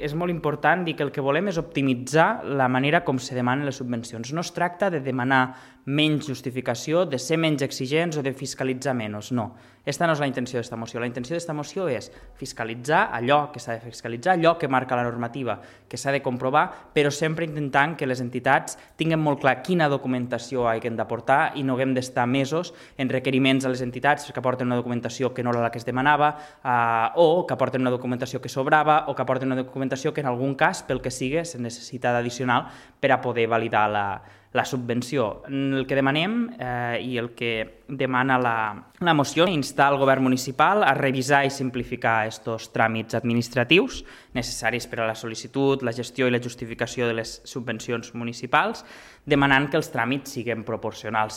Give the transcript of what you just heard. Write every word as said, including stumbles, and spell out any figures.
És molt important dir que el que volem és optimitzar la manera com se demanen les subvencions. No es tracta de demanar menys justificació, de ser menys exigents o de fiscalitzar menys, no. Aquesta no és la intenció d'esta moció. La intenció d'esta moció és fiscalitzar allò que s'ha de fiscalitzar, allò que marca la normativa, que s'ha de comprovar, però sempre intentant que les entitats tinguin molt clar quina documentació hagin d'aportar i no haguem d'estar mesos en requeriments a les entitats que aporten una documentació que no era la que es demanava eh, o que aporten una documentació que sobrava o que aporten una documentació que en algun cas, pel que sigui, se necessita d'addicional per a poder validar la, la subvenció. El que demanem eh, i el que demana la, la moció és instar el govern municipal a revisar i simplificar aquests tràmits administratius necessaris per a la sol·licitud, la gestió i la justificació de les subvencions municipals, demanant que els tràmits siguin proporcionals.